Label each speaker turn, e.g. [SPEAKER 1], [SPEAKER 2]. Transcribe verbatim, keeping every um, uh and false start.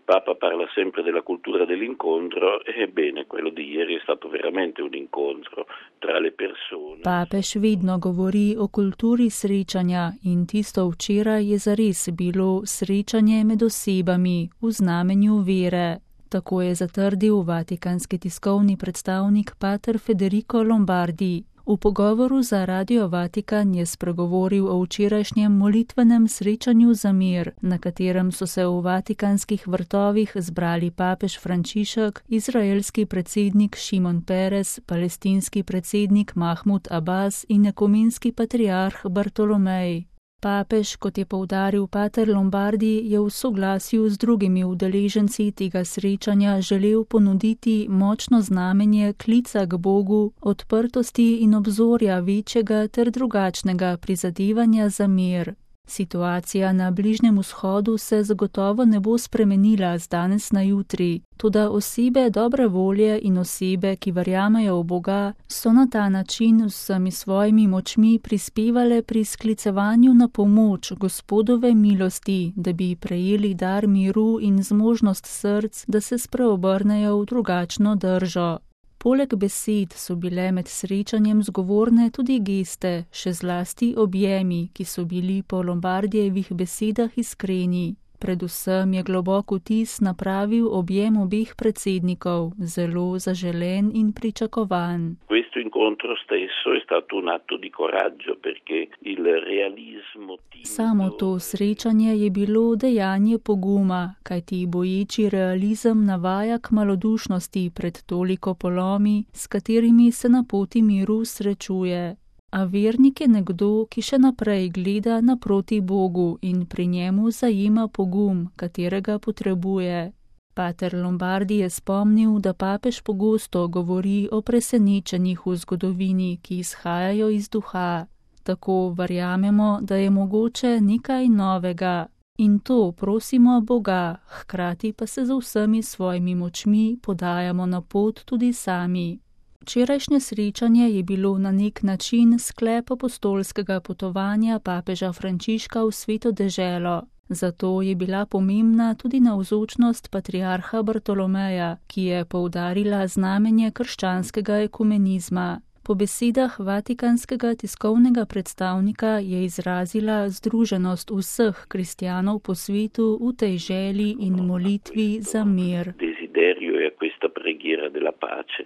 [SPEAKER 1] Papa parla sempre della cultura dell'incontro, ebbene quello di ieri è stato veramente un incontro tra le persone.
[SPEAKER 2] Papež vedno govori o kulturi srečanja in tisto včeraj je zares bilo srečanje med osebami v znamenju vere. Tako je zatrdil vatikanski tiskovni predstavnik pater Federico Lombardi. V pogovoru za Radio Vatikan je spregovoril o včerajšnjem molitvenem srečanju za mir, na katerem so se v vatikanskih vrtovih zbrali papež Frančišek, izraelski predsednik Šimon Peres, palestinski predsednik Mahmud Abbas in ekumenski patriarh Bartolomej. Papež, kot je poudaril pater Lombardi, je v soglasju z drugimi udeleženci tega srečanja želel ponuditi močno znamenje klica k Bogu, odprtosti in obzorja večjega ter drugačnega prizadevanja za mir. Situacija na Bližnjem vzhodu se zagotovo ne bo spremenila z danes na jutri, toda osebe dobre volje in osebe, ki verjamejo v Boga, so na ta način z vsemi svojimi močmi prispevale pri sklicevanju na pomoč Gospodove milosti, da bi prejeli dar miru in zmožnost src, da se spreobrnejo v drugačno držo. Poleg besed so bile med srečanjem zgovorne tudi geste, še zlasti objemi, ki so bili po Lombardijevih besedah iskreni. Predvsem je globok vtis napravil objem obeh predsednikov, zelo zaželen in pričakovan.
[SPEAKER 1] Questo incontro stesso è stato un atto di coraggio perché il realismo timido...
[SPEAKER 2] Samo to srečanje je bilo dejanje poguma, kajti boječi realizem navaja k malodušnosti pred toliko polomi, s katerimi se na poti miru srečuje. A vernik je nekdo, ki še naprej gleda naproti Bogu in pri njemu zajema pogum, katerega potrebuje. Pater Lombardi je spomnil, da papež pogosto govori o presenečenjih v zgodovini, ki izhajajo iz duha. Tako verjamemo, da je mogoče nekaj novega. In to prosimo Boga, hkrati pa se z vsemi svojimi močmi podajamo na pot tudi sami. Včerajšnje srečanje je bilo na nek način sklep apostolskega potovanja papeža Frančiška v Sveto deželo. Zato je bila pomembna tudi navzočnost patriarha Bartolomeja, ki je poudarila znamenje krščanskega ekumenizma. Po besedah vatikanskega tiskovnega predstavnika je izrazila združenost vseh kristjanov po svetu v tej želji in molitvi za mir.
[SPEAKER 1] Desiderio è questa preghiera della pace.